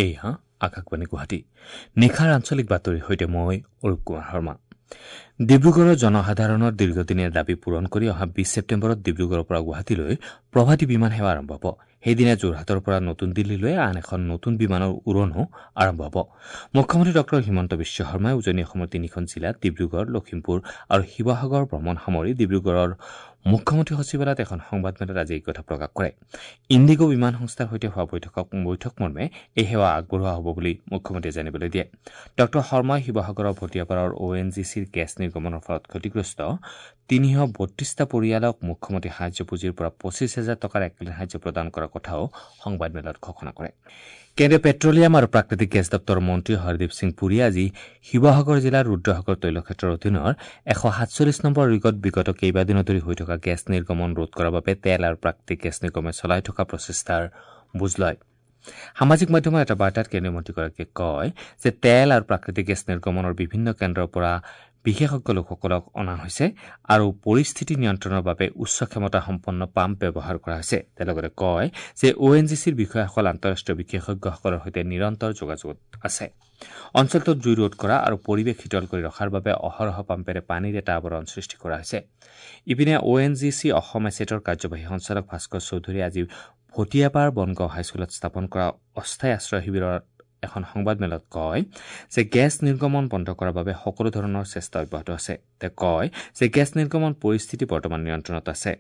এয়া আকাশবাণী গুৱাহাটী। নিশাৰ আঞ্চলিক বাতৰিৰ সৈতে মই অৰূপ কুমাৰ শৰ্মা। ডিব্ৰুগড়ৰ জনসাধাৰণৰ দীৰ্ঘদিনীয়া দাবী পূৰণ কৰি অহা ২০ ছেপ্টেম্বৰত ডিব্ৰুগড়ৰ পৰা গুৱাহাটীলৈ প্ৰভাতী বিমান সেৱা আৰম্ভ হ'ব। সেইদিনা যোৰহাটৰ পৰা নতুন দিল্লীলৈ আন এখন নতুন বিমানৰ উৰণো আৰম্ভ হ'ব। মুখ্যমন্ত্ৰী ডঃ হিমন্ত বিশ্ব শৰ্মাই উজনি অসমৰ তিনিখন জিলা ডিব্ৰুগড়, লখিমপুৰ আৰু শিৱসাগৰ ভ্ৰমণ সামৰি ডিব্ৰুগড়ৰ মুখ্যমন্ত্ৰী সচিবালয়ত এখন সংবাদমেলত আজি এই কথা প্ৰকাশ কৰে। ইণ্ডিগো বিমান সংস্থাৰ সৈতে হোৱা বৈঠক মৰ্মে এই সেৱা আগবঢ়োৱা হ'ব বুলি মুখ্যমন্ত্ৰীয়ে জানিবলৈ দিয়ে। ডঃ শৰ্মাই শিৱসাগৰৰ ভটিয়াপাৰৰ অ' এন জি চিৰ গেছ নিৰ্গমনৰ ফলত ক্ষতিগ্ৰস্ত ৩৩২টা পৰিয়ালক মুখ্যমন্ত্ৰী সাহায্য পুঁজিৰ পৰা ২৫,০০০ টকাৰ এককালীন সাহায্য প্ৰদান কৰাৰ কথাও সংবাদমেলত ঘোষণা কৰে। কেন্দ্ৰীয় পেট্ৰলিয়াম আৰু প্ৰাকৃতিক গেছ দপ্তৰৰ মন্ত্ৰী হৰদীপ সিং পুৰীয়ে আজি শিৱসাগৰ জিলাৰ ৰুদ্ৰসাগৰ তৈলক্ষেত্ৰৰ অধীনৰ ১৪৭ নম্বৰ ৰিগত বিগত কেইবাদিনো ধৰি হৈ থকা গেছ নিৰ্গমন ৰোধ কৰাৰ বাবে তেল আৰু প্ৰাকৃতিক গেছ নিগমে চলাই থকা প্ৰচেষ্টাৰ বুজ লয়। সামাজিক মাধ্যমৰ এটা বাৰ্তাত কেন্দ্ৰীয় মন্ত্ৰীগৰাকীয়ে কয় যে তেল আৰু প্ৰাকৃতিক গেছ নিৰ্গমনৰ বিভিন্ন কেন্দ্ৰৰ পৰা বিশেষজ্ঞ লোকসকলক অনা হৈছে আৰু পৰিস্থিতি নিয়ন্ত্ৰণৰ বাবে উচ্চ ক্ষমতা সম্পন্ন পাম্প ব্যৱহাৰ কৰা হৈছে। তেওঁ লগতে কয় যে অ' এন জি চিৰ বিষয়াসকল আন্তঃৰাষ্ট্ৰীয় বিশেষজ্ঞসকলৰ সৈতে নিৰন্তৰ যোগাযোগত আছে। অঞ্চলটোত জুই ৰোধ কৰা আৰু পৰিৱেশ শীতল কৰি ৰখাৰ বাবে অহৰহ পাম্পেৰে পানীৰ এটা আৱৰণ সৃষ্টি কৰা হৈছে। ইপিনে অ' এন জি চি অসম এছেটৰ কাৰ্যবাহী সঞ্চালক ভাস্কৰ চৌধুৰীয়ে আজি ভটিয়াপাৰ বনগাঁও হাইস্কুলত স্থাপন কৰা অস্থায়ী আশ্ৰয় শিবিৰত এখন সংবাদমেলত কয় যে গেছ নিৰ্গমন বন্ধ কৰাৰ বাবে সকলো ধৰণৰ চেষ্টা অব্যাহত আছে। তেওঁ কয় যে গেছ নিৰ্গমন পৰিস্থিতি বৰ্তমান নিয়ন্ত্ৰণত আছে।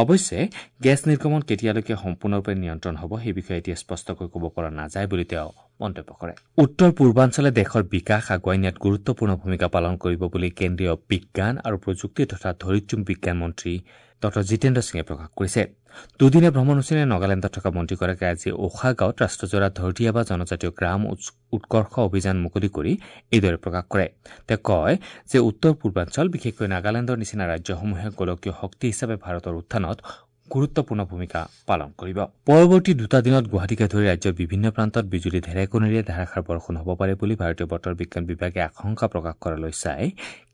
অৱশ্যে গেছ নিৰ্গমন কেতিয়ালৈকে সম্পূৰ্ণৰূপে নিয়ন্ত্ৰণ হ'ব সেই বিষয়ে এতিয়া স্পষ্টকৈ ক'ব পৰা নাযায় বুলি তেওঁ মন্তব্য কৰে। উত্তৰ পূৰ্বাঞ্চলে দেশৰ বিকাশ আগুৱাই নিয়াত গুৰুত্বপূৰ্ণ ভূমিকা পালন কৰিব বুলি কেন্দ্ৰীয় বিজ্ঞান আৰু প্ৰযুক্তি তথা ধৰিত্ৰী বিজ্ঞান মন্ত্ৰী ডঃ জিতেন্দ্ৰ সিঙে প্ৰকাশ কৰিছে। দুদিনীয়া ভ্ৰমণসূচীৰে নগালেণ্ডত থকা মন্ত্ৰীগৰাকীয়ে আজি ওখা গাঁৱত ৰাষ্ট্ৰজোৰা ধৰতিয়াবা জনজাতীয় গ্ৰাম উৎকৰ্ষ অভিযান মুকলি কৰি এইদৰে প্ৰকাশ কৰে। তেওঁ কয় যে উত্তৰ পূৰ্বাঞ্চল বিশেষকৈ নাগালেণ্ডৰ নিচিনা ৰাজ্যসমূহে গোলকীয় শক্তি হিচাপে ভাৰতৰ উত্থানত গুৰুত্বপূৰ্ণ ভূমিকা পালন কৰিব। পৰৱৰ্তী দুটা দিনত গুৱাহাটীকে ধৰি ৰাজ্যৰ বিভিন্ন প্ৰান্তত বিজুলী ঢেৰেকনিৰে ধাৰাসাৰ বৰষুণ হ'ব পাৰে বুলি ভাৰতীয় বতৰ বিজ্ঞান বিভাগে আশংকা প্ৰকাশ কৰালৈ চাই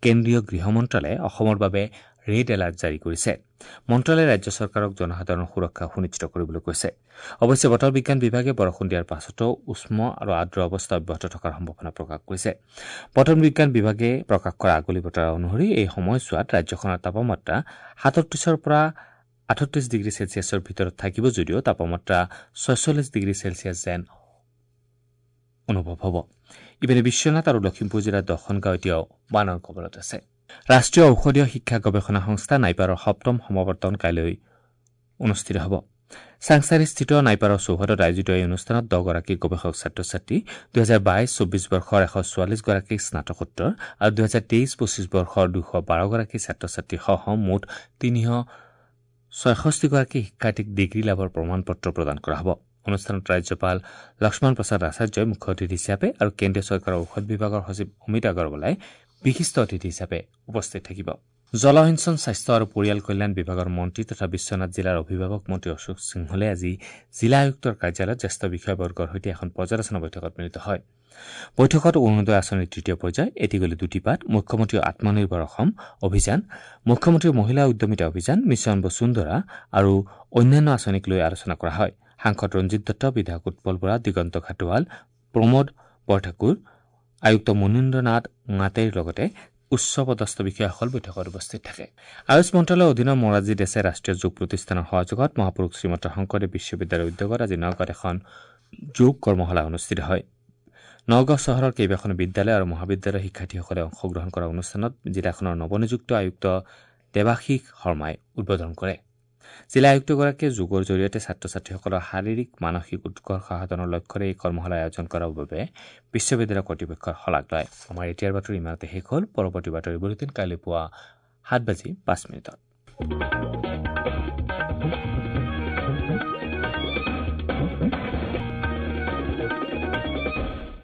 কেন্দ্ৰীয় গৃহ মন্ত্ৰালয়ে অসমৰ বাবে ৰেড এলাৰ্ট জাৰি কৰিছে। মন্ত্ৰালয়ে ৰাজ্য চৰকাৰক জনসাধাৰণৰ সুৰক্ষা সুনিশ্চিত কৰিবলৈ কৈছে। অৱশ্যে বতৰ বিজ্ঞান বিভাগে বৰষুণ দিয়াৰ পাছতো উষ্ম আৰু আৰ্দ্ৰ অৱস্থা অব্যাহত থকাৰ সম্ভাৱনা প্ৰকাশ কৰিছে। বতৰ বিজ্ঞান বিভাগে প্ৰকাশ কৰা আগলি বতৰা অনুসৰি এই সময়ছোৱাত ৰাজ্যখনৰ তাপমাত্ৰা ৩৭ৰ পৰা ৩৮ ডিগ্ৰী চেলছিয়াছৰ ভিতৰত থাকিব যদিও তাপমাত্ৰা ৪৬ ডিগ্ৰী চেলছিয়াছ যেন অনুভৱ হ'ব। ইপিনে বিশ্বনাথ আৰু লখিমপুৰ জিলাৰ ১০খন গাঁও এতিয়াও বানৰ কবলত আছে। ৰাষ্ট্ৰীয় ঔষধীয় শিক্ষা গৱেষণা সংস্থা নাইপাৰৰ সপ্তম সমাৱৰ্তন কাইলৈ অনুষ্ঠিত হ'ব। চাংসাৰিস্থিত নাইপাৰৰ চৌহদত আয়োজিত এই অনুষ্ঠানত ১০গৰাকী গৱেষক ছাত্ৰ ছাত্ৰী, ২০২২-২৪ বৰ্ষৰ ১৪৪গৰাকী স্নাতকোত্তৰ আৰু ২০২৩-২৫ বৰ্ষৰ ২১২গৰাকী ছাত্ৰ ছাত্ৰীসহ মুঠ ৩৬৬গৰাকী শিক্ষাৰ্থীক ডিগ্ৰী লাভৰ প্ৰমাণ পত্ৰ প্ৰদান কৰা হ'ব। অনুষ্ঠানত ৰাজ্যপাল লক্ষ্মণ প্ৰসাদ আচাৰ্যই মুখ্য অতিথি হিচাপে আৰু কেন্দ্ৰীয় চৰকাৰৰ ঔষধ বিভাগৰ সচিব অমিত আগৰৱালাই বিশিষ্ট অতিথি হিচাপে উপস্থিত থাকিব। জলসিঞ্চন, স্বাস্থ্য আৰু পৰিয়াল কল্যাণ বিভাগৰ মন্ত্ৰী তথা বিশ্বনাথ জিলাৰ অভিভাৱক মন্ত্ৰী অশোক সিংহলে আজি জিলা আয়ুক্তৰ কাৰ্যালয়ত জ্যেষ্ঠ বিষয়াবৰ্গৰ সৈতে এখন পৰ্যালোচনা বৈঠকত মিলিত হয়। বৈঠকত অৰুণোদয় আঁচনিৰ তৃতীয় পৰ্যায়, এটি গ'লে দুটি পাত, মুখ্যমন্ত্ৰী আত্মনিৰ্ভৰ অসম অভিযান, মুখ্যমন্ত্ৰী মহিলা উদ্যমিতা অভিযান, মিছন বসুন্ধৰা আৰু অন্যান্য আঁচনিক লৈ আলোচনা কৰা হয়। সাংসদ ৰঞ্জিত দত্ত, বিধায়ক উৎপল বৰা, দিগন্ত ঘাটোৱাল, প্ৰমোদ বৰঠাকুৰ, আয়ুক্ত মনীন্দ্ৰ নাথ ঙাটেৰ লগতে উচ্চ পদস্থ বিষয়াসকল বৈঠকত উপস্থিত থাকে। আয়ুষ মন্ত্ৰালয়ৰ অধীনৰ মোৰাৰজী দেশাই ৰাষ্ট্ৰীয় যোগ প্ৰতিষ্ঠানৰ সহযোগত মহাপুৰুষ শ্ৰীমন্ত শংকৰদেৱ বিশ্ববিদ্যালয়ৰ উদ্যোগত আজি নগাঁৱত এখন যোগ কৰ্মশালা অনুষ্ঠিত হয়। নগাঁও চহৰৰ কেইবাখনো বিদ্যালয় আৰু মহাবিদ্যালয়ৰ শিক্ষাৰ্থীসকলে অংশগ্ৰহণ কৰা অনুষ্ঠানত জিলাখনৰ নৱনিযুক্ত আয়ুক্ত দেৱাশীষ শৰ্মাই উদ্বোধন কৰে। জিলা আয়ুক্তগৰাকীয়ে যোগৰ জৰিয়তে ছাত্ৰ ছাত্ৰীসকলৰ শাৰীৰিক মানসিক উৎকৰ্ষ সাধনৰ লক্ষ্যৰে এই কৰ্মশালা আয়োজন কৰাৰ বাবে বিশ্ববিদ্যালয় কৰ্তৃপক্ষৰ শলাগ লয়। আমাৰ এতিয়াৰ বাতৰি ইমানতে শেষ হ'ল। পৰৱৰ্তী বাতৰি বুলেটিন কাইলৈ পুৱা ৭:০৫।